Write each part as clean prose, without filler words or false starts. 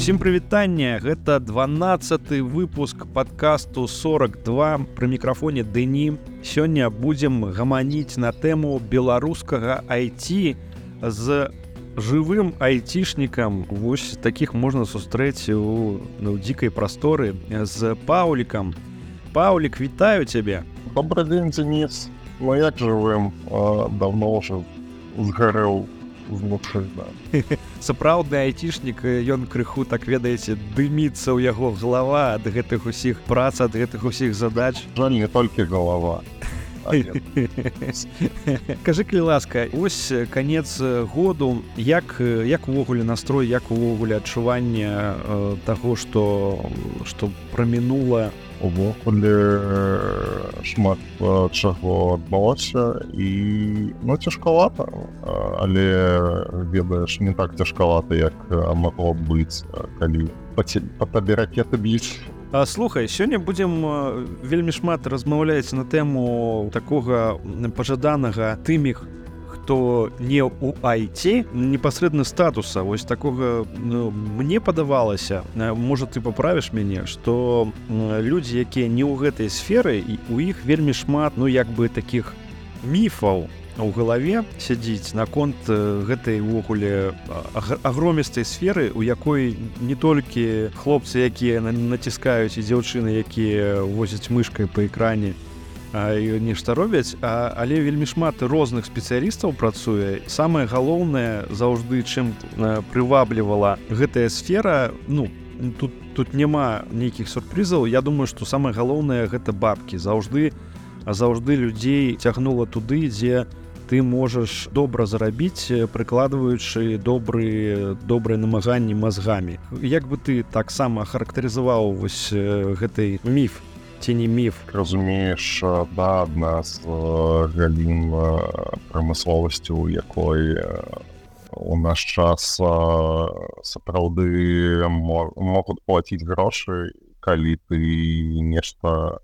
Усім прывітанне, гэта 12-ы выпуск падкасту 42 пры мікрафоне Дэні. Сёння будзем гаманіць на тэму беларускага IT з жывым айцішнікам. Вось такіх можна сустрэць у дзікай прасторы з Паўлікам. Паўлік, вітаю цябе. Добрый день, Денис. Ну як жывым? Давно ўжо згарэў знутры, да. Сапраўдны айцішнік, ён крыху, так ведаеце, дыміцца ў яго галава ад гэтых усіх прац, ад гэтых усіх задач. Жаль, не толькі галава. Кажы, калі ласка, ось канец году, як увогуле настрой, як увогуле адчуванне таго, што прамінула? Увогуле шмат чаго адбылося і цяжкавата, але ведаеш, не так цяжкавата, як магло б быць, калі па табе ракеты б'юць. Слухай, сёння будзем вельмі шмат размаўляць на тэму такога пажаданага тымі, хто не ў IT, непасрэдна статуса. Вось такога мне падавалася, можа ты паправіш мяне, што людзі, якія не ў гэтай сферы, і у іх вельмі шмат, такіх міфаў у галаве сядзіць наконт гэтай увогуле агромістай сферы, у якой не толькі хлопцы, якія націскаюць, і дзяўчыны, якія возяць мышкай па экране і нешта робяць, але вельмі шмат розных спецыялістаў працуе. Самае галоўнае заўжды, чым прываблівала гэтая сфера, тут няма нейкіх сюрпрызаў. Я думаю, што самае галоўнае гэта бабкі. Заўжды людзей цягнула туды, дзе ты можаш добра зарабіць, прыкладваючы добрыя намаганні мазгамі. Як бы ты таксама характарызаваў вось гэты міф? Ці не міф? Разумееш, да, адна з галін прамысловасці, у якой у наш час сапраўды могуць плаціць грошы, калі ты нешта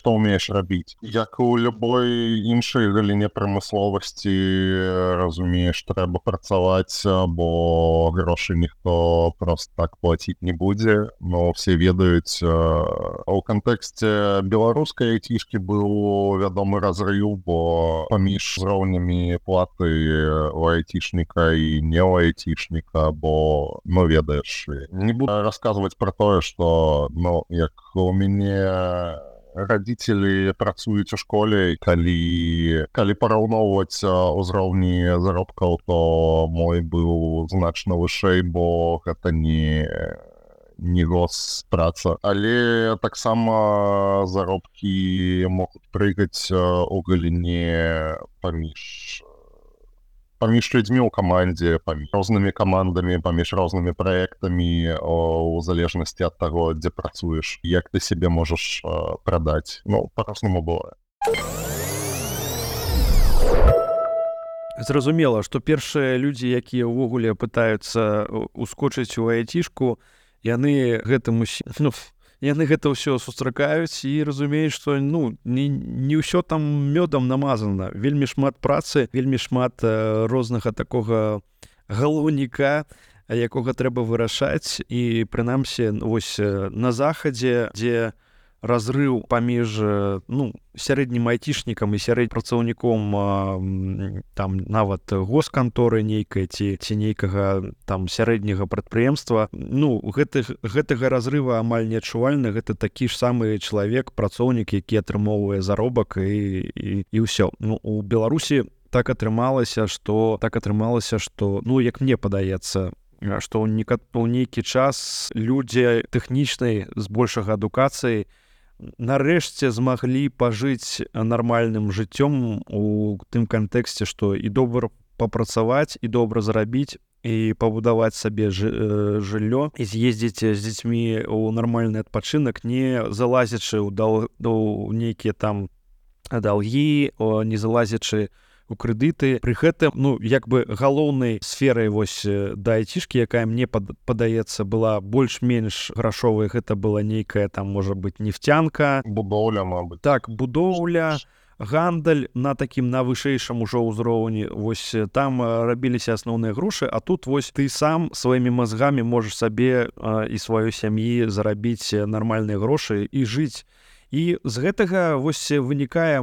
ўмееш рабіць. Як у любой іншай галіне прамысловасці, разумееш, трэба працаваць, бо грошы ніхто проста так плаціць не будзе. Но все ведаюць, у кантэксце беларускай айцішкі быў вядомы разрыў, бо паміж узроўнямі платы у айцішніка і не ў айцішніка, бо, ведаеш, не буду расказваць пра тое, што, як у мяне радзіцелі працуюць у школе, калі параўноўваць узроўні заробкаў, то мой быў значна вышэй, бо гэта не госпраца. Але таксама заробкі могуць прыгаць у галіне паміж людзьмі ў камандзе, паміж рознымі камандамі, паміж рознымі праектамі, у залежнасці ад таго, дзе працуеш, як ты сябе можаш прадаць. Па-рознаму бывае. Зразумела, што першыя людзі, якія ўвогуле пытаюцца ускочыць у айцішку, яны гэта ўсё сустракаюць і разумеюць, што не ўсё там мёдам намазана. Вельмі шмат працы, вельмі шмат рознага такога галоўніка, якога трэба вырашаць. І прынамсі вось на захадзе, дзе разрыў паміж сярэднім айцішнікам і сярэднім працаўніком там нават госканторы нейкай ці нейкага там сярэдняга прадпрыемства, гэтага разрыва амаль неадчувальна. Гэта такі ж самы чалавек, працоўнік, які атрымоўвае заробак і ўсё. У Беларусі так атрымалася, што як мне падаецца, што ў нейкі час людзі тэхнічнай з большага адукацыі нарэшце змаглі пажыць нармальным жыццём у тым кантэксце, што і добра папрацаваць, і добра зарабіць, і пабудаваць сабе жыллё, і з'ездзіць з дзецьмі ў нармальны адпачынак, не залазячы ў нейкія там даўгі, не залазячы у крэдыты. Пры гэтым, галоўнай сферай вось да айцішкі, якая мне падаецца была больш-менш грашовай, гэта была нейкая там, можа быць, нефтянка. Будоўля, мабыць. Так, будоўля, гандаль на такім на вышэйшым ужо ўзроўні, вось там рабіліся асноўныя грошы, а тут вось ты сам сваімі мазгамі можаш сабе і сваёй сям'і зарабіць нармальныя грошы і жыць. І з гэтага вось вынікае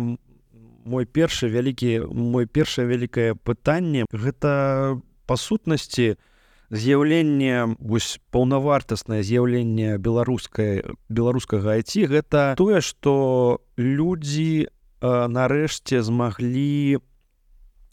моё першае вялікае пытанне. Гэта па сутнасці з'яўленне, вось паўнавартаснае з'яўленне беларускага IT, гэта тое, што людзі нарэшце змаглі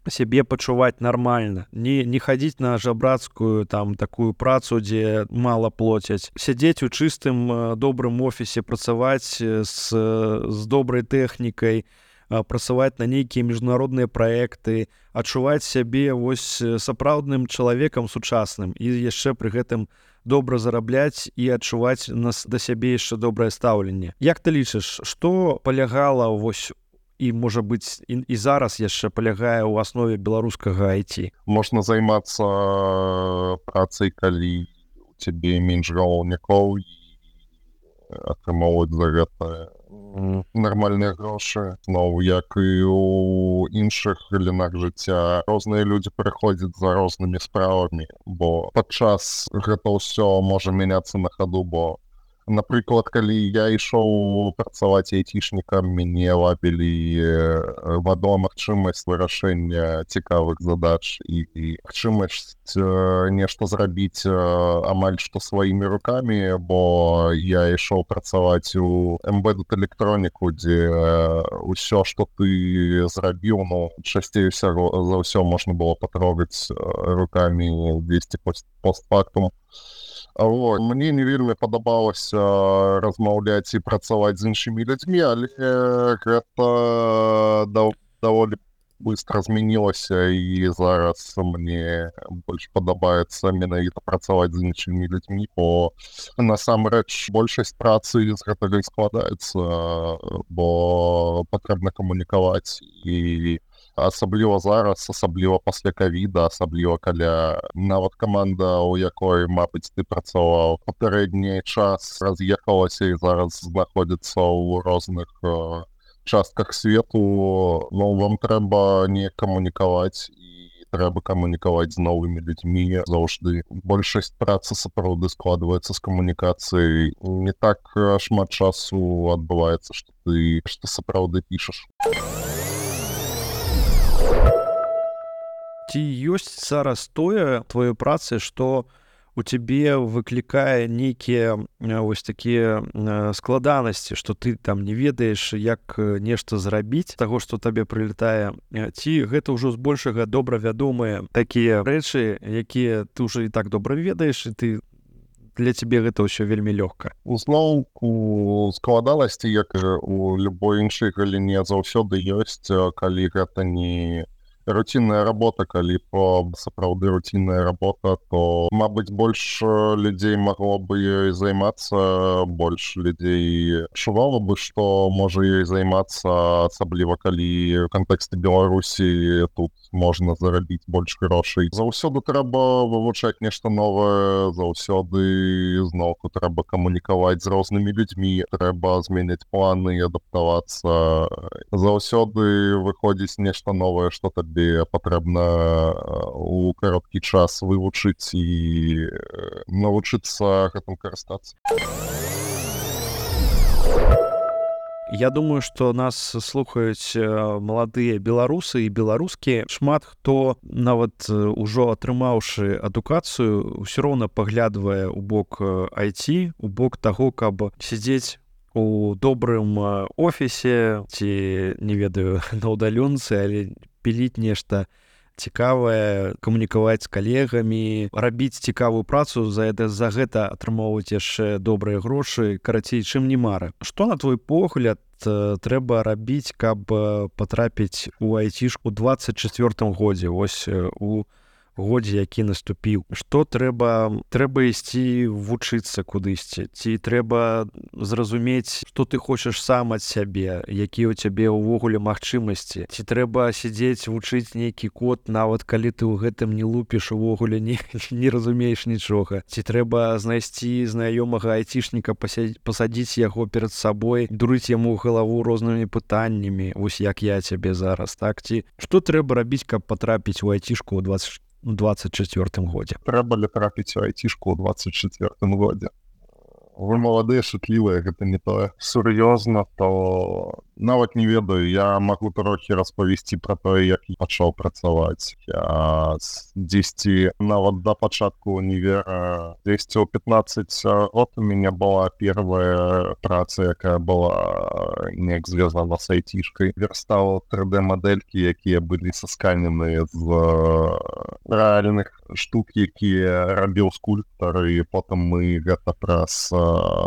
сябе пачуваць нармальна, не хадзіць на жабрацкую там такую працу, дзе мала плоцяць, сядзець у чыстым добрым офісе, працаваць з добрай тэхнікай, працаваць на нейкія міжнародныя праекты, адчуваць сябе вось сапраўдным чалавекам сучасным і яшчэ пры гэтым добра зарабляць і адчуваць да сябе яшчэ добрае стаўленне. Як ты лічыш, што палягала вось і, можа быць, і зараз яшчэ палягае ў аснове беларускага IT? Можна займацца працай, калі у цябе менш галоўнікоў і атрымоўваць за гэта нармальныя грошы. Ну, як і ў іншых галінах жыцця, розныя людзі прыходзяць за рознымі справамі, бо падчас гэта ўсё можа мяняцца на хаду, бо, напрыклад, калі я ішоў працаваць айцішнікам, мяне вабілі магчымасць вырашэння цікавых задач і магчымасць нешта зрабіць амаль што сваімі рукамі, бо я ішоў працаваць у Embedded электроніку, дзе ўсё, што ты зрабіў, ну, часцей за ўсё можна было патрогаць рукамі дзесьці постфактум. Мне не вельмі падабалася размаўляць і працаваць з іншымі людзьмі, але гэта даволі быстро змянілася, і зараз мне больш падабаецца менавіта працаваць з іншымі людзьмі, бо насамрэч большасць працы з гэтага і складаецца, бо патрэбна камунікаваць, і асабліва зараз, асабліва пасля ковіда, асабліва каля нават каманда, у якой, мабыць, ты працаваў папярэдні час, раз'ехалася і зараз знаходзіцца ў розных частках свету. Ну, вам трэба не камунікаваць, і трэба камунікаваць з новымі людзьмі заўжды. Большасць працы сапраўды складваецца з камунікацыі. Не так шмат часу адбываецца, што ты сапраўды пішаш. Ці ёсць зараз тое твоёй працы, што у цябе выклікае нейкія вось такія складанасці, што ты там не ведаеш, як нешта зрабіць таго, што табе прылетае, ці гэта ўжо збольшага добра вядомыя такія рэчы, якія ты ўжо і так добра ведаеш, і ты для цябе гэта ўсё вельмі лёгка? Зноўку складанасці, як у любой іншай галіне, заўсёды ёсць, калі гэта не рутинная работа, калі сапраўды рутинная работа, то, мабыць, больш людзей магло бы ёй займацца, больш людзей адчувала бы, што можа ёй займацца, асабліва калі ў кантэксце Беларусі тут можна зарабіць больш грошай. Заўсёды трэба вывучаць нешта новае, заўсёды зноўку трэба камунікаваць з рознымі людзьмі, трэба змяняць планы і адаптавацца. Заўсёды выходзіць нешта новае, што табе патрэбна у кароткі час вывучыць і навучыцца гэтым карыстацца. Я думаю, што нас слухаюць маладыя беларусы і беларускі. Шмат хто, нават ужо атрымаўшы адукацыю, ўсё роўна паглядвае ў бок IT, у бок таго, каб сядзець у добрым офісе ці, не ведаю, на ўдалёнцы, але піліць нешта цікавае, камунікаваць з калегамі, рабіць цікавую працу, за гэта атрымоўваць яшчэ добрыя грошы, карацей, чым не мара. Што, на твой погляд, трэба рабіць, каб патрапіць у айцішку ў 24-м годзе, вось у годзе, які наступіў, што трэба ісці вучыцца кудысьці, ці трэба зразумець, што ты хочаш сам ад сябе, якія ў цябе ўвогуле магчымасці, ці трэба сядзець вучыць нейкі код, нават калі ты ў гэтым не лупіш, увогуле не разумееш нічога, ці трэба знайсці знаёмага айцішніка, пасадзіць яго перад сабой, дурыць яму галаву рознымі пытаннямі, вось як я цябе зараз, так? Ці што трэба рабіць, каб патрапіць у айцішку ў 24 годзе? Трэба ли трапіць у айцішку ў 24 годзе? Вы маладыя, шутлівыя, гэта не тое. Сур'ёзна, то нават не ведаю, я магу трохі распавесці пра тое, як я пачаў працаваць. Я дзесьці нават да пачатку універа, дзесьці ў 15 год у мяне была первая праца, якая была неяк звязана з айцішкай. Верстаў 3D-мадэлькі, якія былі сасканены з рэальных штук, якія рабіў скульптар, і потым мы гэта праз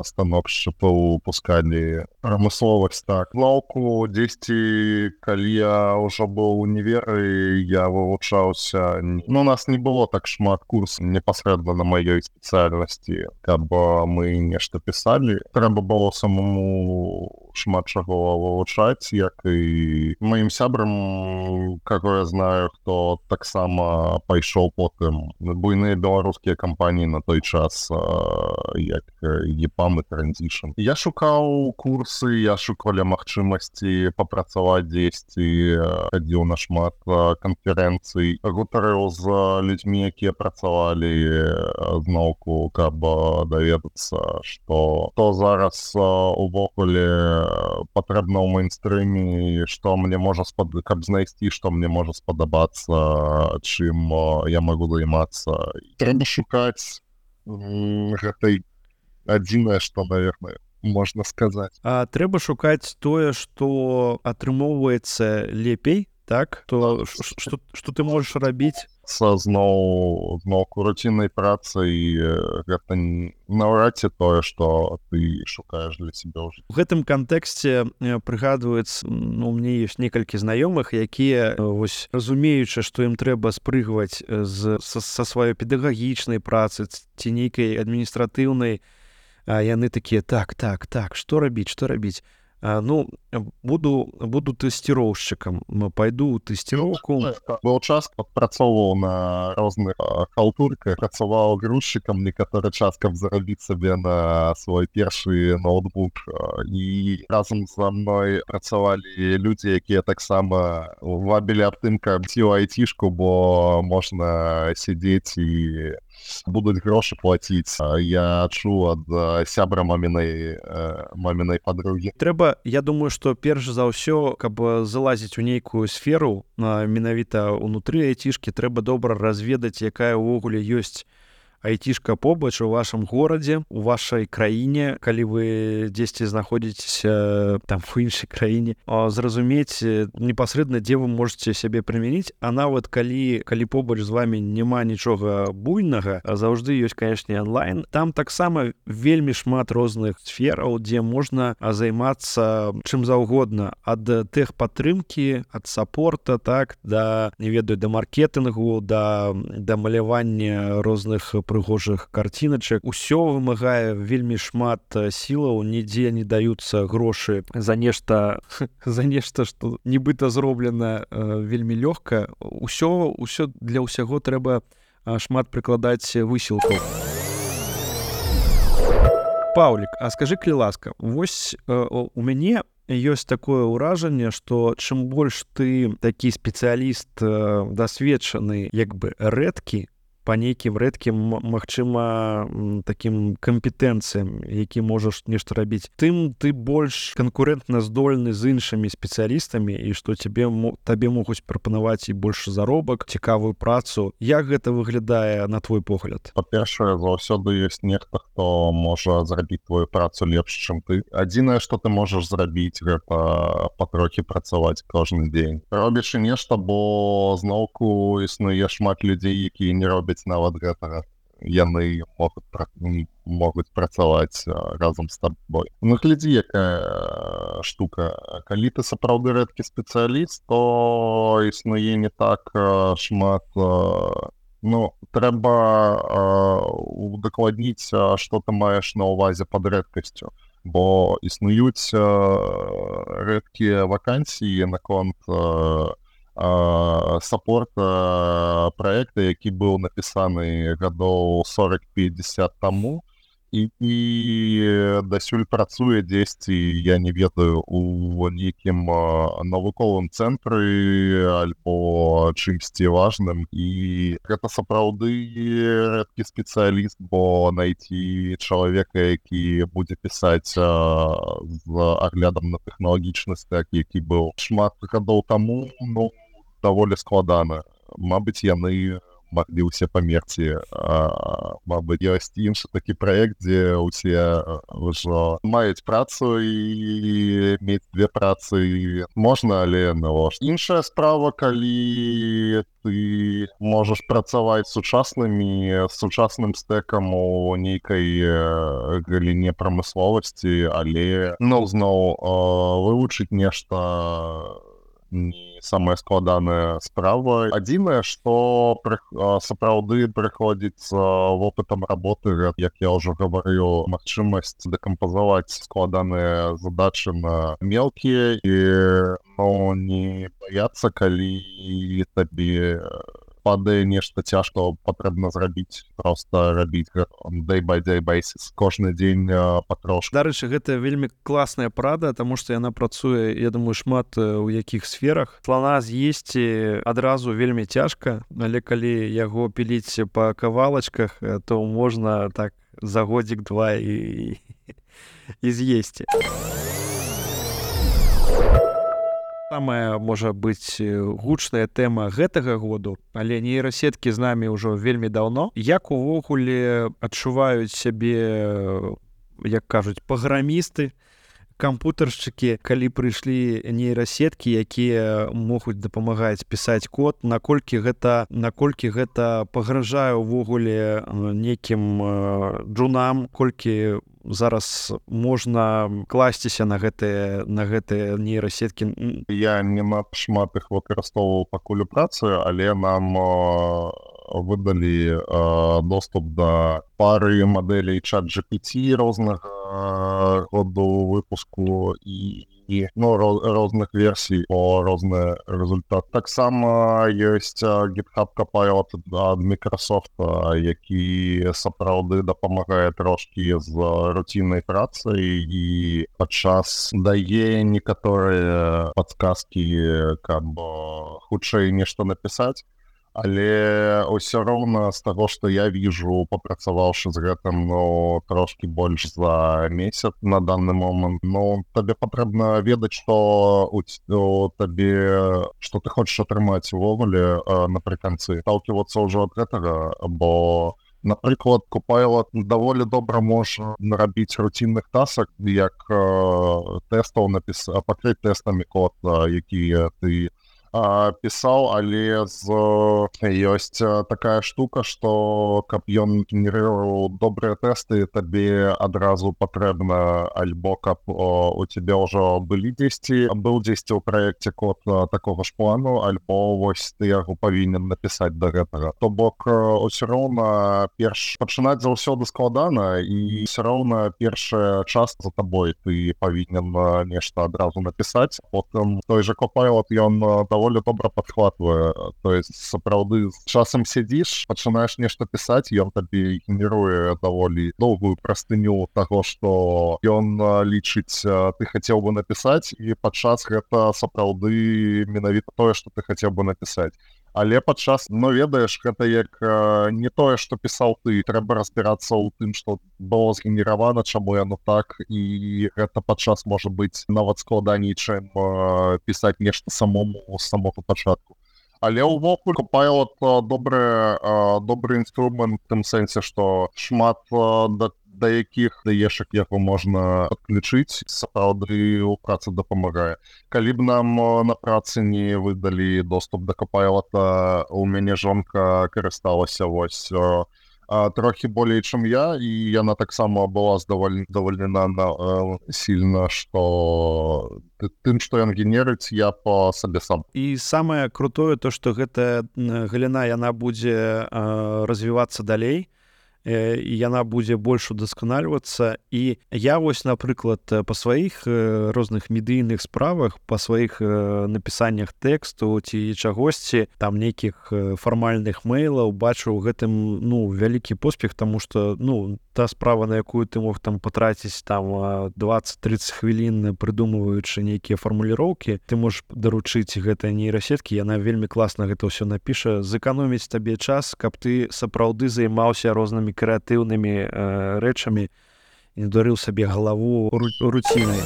станок шчыпаў пускалі прамысловасць. Так, зноўку дзесьці, калі я ўжо быў у універы, я вывучаўся. Ну, у нас не было так шмат курсаў непасрэдна на маёй спецыяльнасці, каб мы нешта пісалі. Трэба было самому шмат чаго вывучаць, як і маім сябрам, каго я знаю, хто таксама пайшоў потым буйныя беларускія кампаніі на той час, як EPAM і Transition. Я шукаў курсы, я шукалі магчымасці папрацаваць дзесьці, хадзіў на шмат канферэнцый, гутарыў з людзьмі, якія працавалі зноўку, каб даведацца, што зараз увогуле патрэбна ў мейнстрыме, што мне можа каб знайсці, што мне можа спадабацца, чым я магу займацца. Трэба шукаць гэтай адзінае, што, наверное, можна сказаць. А трэба шукаць тое, што атрымоўваецца лепей, так? То, што ты можаш рабіць? Зноў руціннай працай гэта наўрад ці тое, што ты шукаеш для сябе ў жыцці. У гэтым кантэксце прыгадваецца, у мяне ёсць некалькі знаёмых, якія, вось, разумеючы, што ім трэба спрыгваць са сваёй педагагічнай працы ці нейкай адміністратыўнай, яны такія, так, што рабіць? Ну, буду тэсціроўшчыкам, пайду ў тэсціроўку. Быў час, працоўваў на розных халтурках, працаваў грузчыкам некаторы час, каб зарабіць сабе на свой першы ноутбук. І разам за мной працавалі людзі, якія таксама вабілі аб тым, каб ці ў айцішку, бо можна сядзець і будуць грошы плаціць. Я чуў ад сябра мамінай падругі. Трэба, я думаю, што перш за ўсё, каб залазіць у нейкую сферу, менавіта ўнутры айцішкі, трэба добра разведаць, якая ўвогуле ёсць айцішка побач у вашым горадзе, у вашай краіне, калі вы дзесьці знаходзіцеся там у іншай краіне, зразумець непасрэдна, дзе вы можаце сябе прымяніць, а нават калі побач з вамі няма нічога буйнага, заўжды ёсць, канешне, онлайн. Там таксама вельмі шмат розных сфераў, дзе можна займацца чым заўгодна, ад тэхпатрымкі, ад сапорта, так, да маркетынгу, да малявання розных прыгожых карціначак. Усё вымагае вельмі шмат сілаў, нідзе не даюцца грошы за нешта, што нібыта зроблена вельмі лёгка. Усё для ўсяго трэба шмат прыкладаць высілкаў. Паўлік, а скажы, калі ласка, вось у мяне ёсць такое ўражанне, што чым больш ты такі спецыяліст дасведчаны, як бы рэдкі, па нейкім рэдкім, магчыма, такім кампетэнцыям, які можаш нешта рабіць, тым ты больш канкурэнтна здольны з іншымі спецыялістамі, і што табе могуць прапанаваць і больш заробак, цікавую працу. Як гэта выглядае на твой погляд? Па-першае, заўсёды ёсць нехта, хто можа зрабіць твою працу лепш, чым ты. Адзінае, што ты можаш зрабіць, гэта патрохі працаваць кожны дзень. Робіш і нешта, бо зноўку існуе шмат людзей, якія не робяць нават гэтага. Яны могуць працаваць разам з табой. Ну, глядзі, якая штука. Калі ты сапраўды рэдкі спецыяліст, то існуе не так шмат Ну, трэба удакладніць, што ты маеш на ўвазе пад рэдкасцю, бо існуюць рэдкія вакансіі наконт саппорта праекта, які быў напісаны гадоў 40-50 таму, і дасюль працуе дзесьці, я не ведаю, у нейкім навуковым цэнтры альбо чымсьці важным, і гэта сапраўды рэдкі спецыяліст, бо найти чалавека, які будзе пісаць з аглядам на тэхналагічны стэк, які быў шмат гадоў таму, ну, даволі складана. Мабыць, яны маглі ўсе памерці. Мабыць, ёсць іншы такі праект, дзе ўсе ўжо маюць працу, і мець две працы можна, але навошта. Іншая справа, калі ты можаш працаваць сучасным стэкам у нейкай галіне прамысловасці, але зноў вывучыць нешта не самая складаная справа. Адзінае, што сапраўды прыходзіць з вопытам работы, як я ўжо гаварыў, магчымасць дэкампазаваць складаныя задачы на мелкія і не баяцца, калі табе падае нешта цяжка, патрэбна зрабіць, проста рабіць day by day basis, кожны дзень патрошку. Дарэчы, гэта вельмі класная парада, таму што яна працуе, я думаю, шмат у якіх сферах. Слана з'есці адразу вельмі цяжка, але калі яго піліць па кавалачках, то можна так за годзік-два і з'есці. Самая, можа быць, гучная тэма гэтага году, але нейрасеткі з намі ўжо вельмі даўно. Як увогуле адчуваюць сябе, як кажуць, праграмісты, кампутаршчыкі, калі прыйшлі нейрасеткі, якія могуць дапамагаць пісаць код, наколькі гэта пагражае ўвогуле нейкім джунам, колькі зараз можна класціся на гэтыя нейрасеткі? Я не шмат іх выкарыстоўваў пакуль у працы, але нам выдалі доступ да пары мадэлей ChatGPT рознага году выпуску і розных версій по розны результат. Таксама ёсць GitHub Copilot ад Microsoft, які сапраўды дапамагае трошкі з руціннай працай і падчас дае некаторыя падказкі, каб хутчэй нешта напісаць. Але ўсё роўна з таго, што я віжу, папрацаваўшы з гэтым трошкі больш за месяц на данный момант, табе патрэбна ведаць, што ты хочаш атрымаць увогуле напрыканцы. Сталківацца ўжо ад гэтага, бо, напрыклад, Copilot даволі добра можа нарабіць руцінных тасак, як тэстаў пакрыць тэстамі код, які ты пісаў, але ёсць такая штука, што каб ён генерировал добрыя тэсты, табе адразу патрэбна альбо каб у цябе ўжо быў дзесьці ў праекце код такога ж плану, альбо вось ты яго павінен напісаць да гэтага. То бок усё роўна пачынаць заўсёды складана, і ўсё роўна першая частка за табой, ты павінен нешта адразу напісаць. Потым той же Copilot, ён даволі добра падхватвае. То есть сапраўды з часам сядзіш, пачынаеш нешта пісаць, ён табе генеруе даволі доўгую прастыню таго, што ён лічыць ты хацеў бы напісаць, і падчас гэта сапраўды менавіта тое, што ты хацеў бы напісаць. Але падчас, ведаеш, гэта як не тое, што пісаў ты, трэба разбірацца ў тым, што было згенеравана, чаму яно так, і гэта падчас можа быць нават складаней, чым пісаць нешта самому з самого пачатку. Але ўвогуле Copilot добры інструмент в тым сэнсе, што шмат да якіх даешак яго можна адключыць, сапраўды ў працы дапамагае. Калі б нам на працы не выдалі доступ да Copilot, у мяне жонка карысталася вось трохі болей, чым я, і яна таксама была задаволена сильна, што тым, што ён генерыць, я па сабе сам. І самае крутое то, што гэтая галіна яна будзе развівацца далей, і яна будзе больш удасканальвацца. І я вось, напрыклад, па сваіх розных медыйных справах, па сваіх напісаннях тэксту ці чагосьці, там нейкіх фармальных мэйлаў бачу ў гэтым вялікі поспех, таму што та справа, на якую ты мог там патраціць там 20-30 хвілін прыдумваючы нейкія фармуліроўкі, ты можаш даручыць гэтай нейрасеткі, яна вельмі класна гэта ўсё напіша, зэканоміць табе час, каб ты сапраўды займаўся рознымі крэатыўнымі рэчамі і не дарыў сабе галаву руцінай.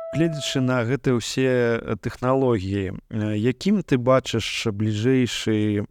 Гледзячы на гэтыя ўсе тэхналогіі, якім ты бачыш бліжэйшае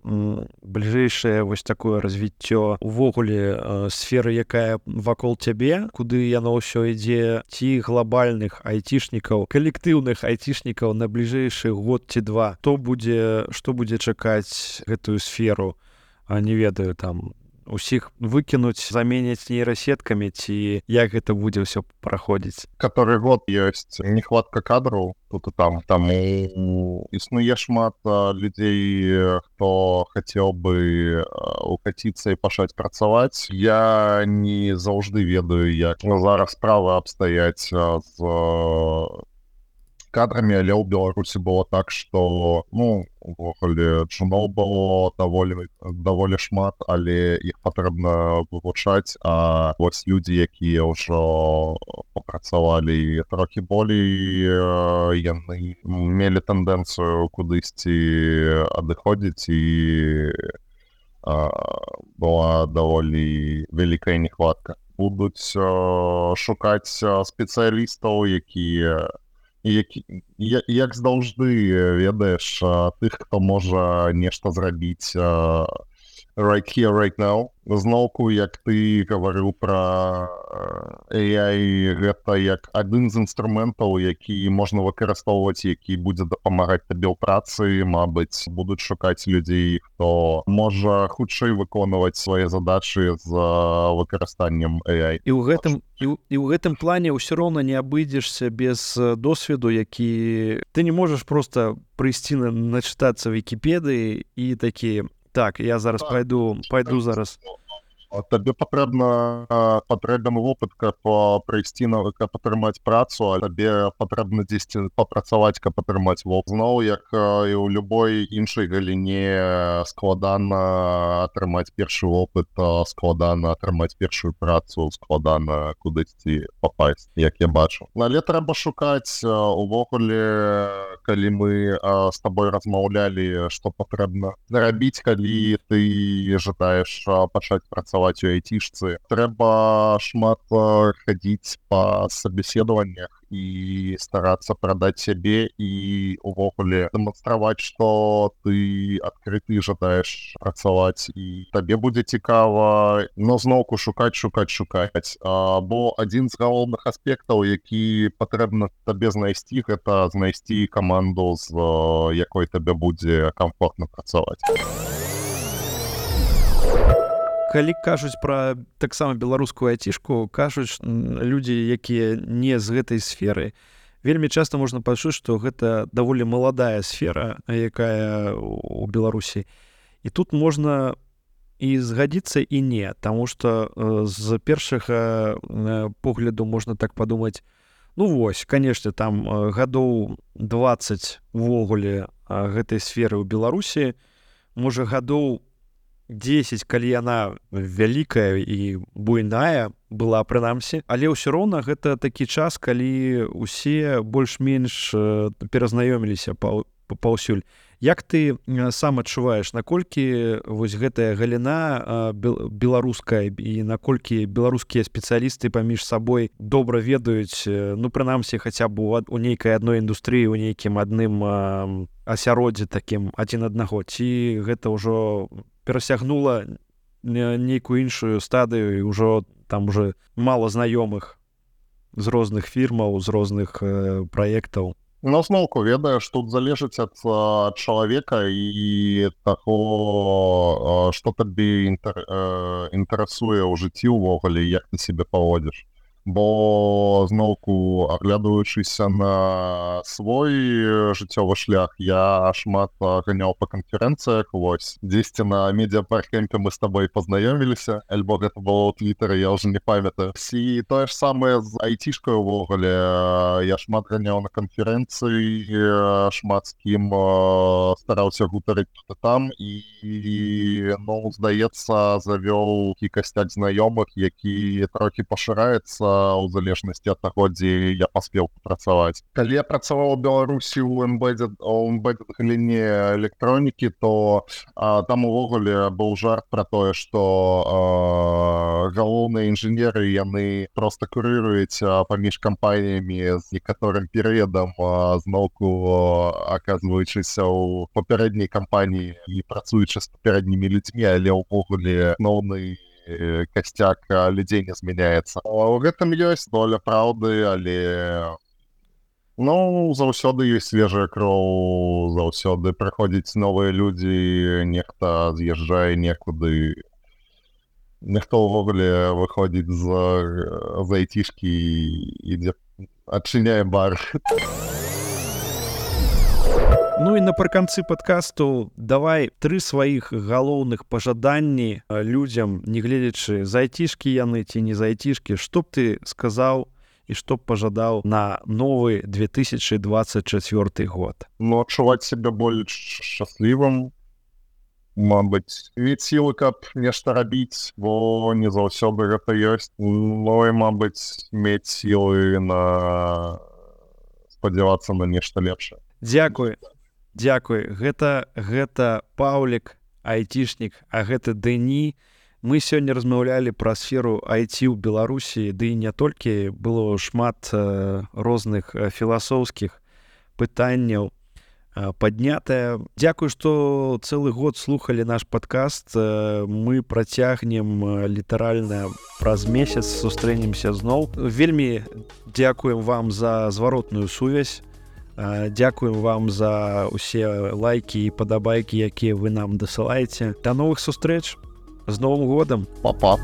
вось такое развіццё увогуле сферы, якая вакол цябе, куды яно ўсё ідзе, ці глобальных айцішнікаў, калектыўных айцішнікаў на бліжэйшы год ці два, што будзе чакаць гэтую сферу, не ведаю, там усіх выкінуць, заменяць нейрасеткамі, ці як гэта будзе ўсё праходзіць? Который год ёсць нехватка кадраў тут і там, таму існуе шмат людзей, хто хацеў бы укаціцца і пачаць працаваць. Я не заўжды ведаю, як зараз справы абстаяць з кадрамі, але ў Беларусі было так, што увогуле джуноў было даволі шмат, але іх патрэбна вывучаць, а вось людзі, якія ўжо папрацавалі трохі болей, яны мелі тэндэнцыю кудысьці адыходзіць, і была даволі вялікая нехватка. Будуць шукаць спецыялістаў, якія як заўжды, ведаеш, тых, хто можа нешта зрабіць right here, right now. Зноўку, як ты гаварыў пра AI, гэта як адзін з інструментаў, які можна выкарыстоўваць, які будзе дапамагаць табе ў працы. Мабыць, будуць шукаць людзей, хто можа хутчэй выконваць свае задачы з выкарыстаннем AI. І ў гэтым плане ўсё роўна не абыдзешся без досведу, які ты не можаш проста прыйсці начытацца Вікіпедыі і такі: так, я зараз пайду зараз. Табе патрэбен вопыт, каб прыйсці, каб атрымаць працу, а табе патрэбна дзесьці папрацаваць, каб атрымаць вопыт. Зноў, як і ў любой іншай галіне, складана атрымаць першы вопыт, складана атрымаць першую працу, складана кудысьці папасць, як я бачу. Але трэба шукаць. Увогуле, калі мы з табой размаўлялі, што патрэбна зрабіць, калі ты жадаеш пачаць працаваць у айцішцы, трэба шмат хадзіць па сабеседаваннях і старацца прадаць сябе і увогуле дэманстраваць, што ты адкрыты, жадаеш працаваць, і табе будзе цікава, но зноўку шукаць. Бо адзін з галоўных аспектаў, які патрэбна табе знайсці, гэта знайсці каманду, з якой табе будзе камфортна працаваць. Калі кажуць пра таксама беларускую айцішку, кажуць людзі, якія не з гэтай сферы, вельмі часта можна пачуць, што гэта даволі маладая сфера, якая у Беларусі. І тут можна і згадзіцца, і не, таму што з першага погляду можна так падумаць: вось, канешне, там гадоў 20 увогуле гэтай сферы ў Беларусі, можа гадоў 10, калі яна вялікая і буйная была, прынамсі, але ўсё роўна гэта такі час, калі ўсе больш-менш перазнаёміліся паўсюль. Як ты сам адчуваеш, наколькі вось гэтая галіна беларуская і наколькі беларускія спецыялісты паміж сабой добра ведаюць, прынамсі, хаця б у нейкай адной індустрыі, у нейкім адным асяроддзі такім адзін аднаго, ці гэта ўжо перасягнула нейкую іншую стадыю, і ўжо там уже мала знаёмых з розных фірмаў, з розных праектаў? Ну, зноўку ведаеш, тут залежыць ад чалавека і таго, што табе інтарэсуе ў жыцці ўвогуле, як ты сябе паводзіш. Бо зноўку, аглядваючыся на свой жыццёвы шлях, я шмат ганяў па канферэнцыях, вось. Дзесьці на медыапаркемпе мы з табой пазнаёміліся, альбо гэта было ў Твітары, я ўжо не памятаю. І тое ж самае з айцішкай увогуле. Я шмат ганяў на канферэнцыі, шмат з кім стараўся гутарыць тут і там, і, ну, здаецца, завёў касцяк знаёмых, які трохі пашыраецца ў залежнасці ад таго, дзе я паспеў папрацаваць. Калі я працаваў у Беларусі ў embedded галіне электронікі, то там увогуле быў жарт пра тое, што галоўныя інжынеры, яны проста курыруюць паміж кампаніямі з некаторым перыядам, зноўку аказваючыся ў папярэдняй кампаніі і працуючы з папярэднімі людзьмі, але ўвогуле асноўны касцяк людзей не змяняецца. У гэтым ёсць доля праўды, але, ну, заўсёды ёсць свежая кроў, заўсёды прыходзяць новыя людзі, нехта з'язджае некуды, нехта ўвогуле выходзіць з айцішкі і ідзе адчыняе бар. Ну і напрыканцы падкасту давай 3 сваіх галоўных пажаданні людзям, не гледзячы, з айцішкі яны ці не з айцішкі, што б ты сказаў і што б пажадаў на новы 2024 год? Ну, адчуваць сябе больш шчаслівым, мабыць, мець сілы, каб нешта рабіць, бо не заўсёды гэта ёсць. Ну і, мабыць, мець сілы на спадзявацца на нешта лепшае. Дзякуй. Дзякуй. Гэта Паўлік, айцішнік, а гэта Дэні. Мы сёння размаўлялі пра сферу IT ў Беларусі, ды і не толькі, было шмат розных філасофскіх пытанняў паднятае. Дзякуй, што цэлы год слухалі наш падкаст. Мы працягнем літаральна праз месяц, сустрэнемся зноў. Вельмі дзякуем вам за зваротную сувязь. Дзякуем вам за ўсе лайкі і падабайкі, якія вы нам дасылаеце. Да новых сустрэч! З Новым годам! Па-па!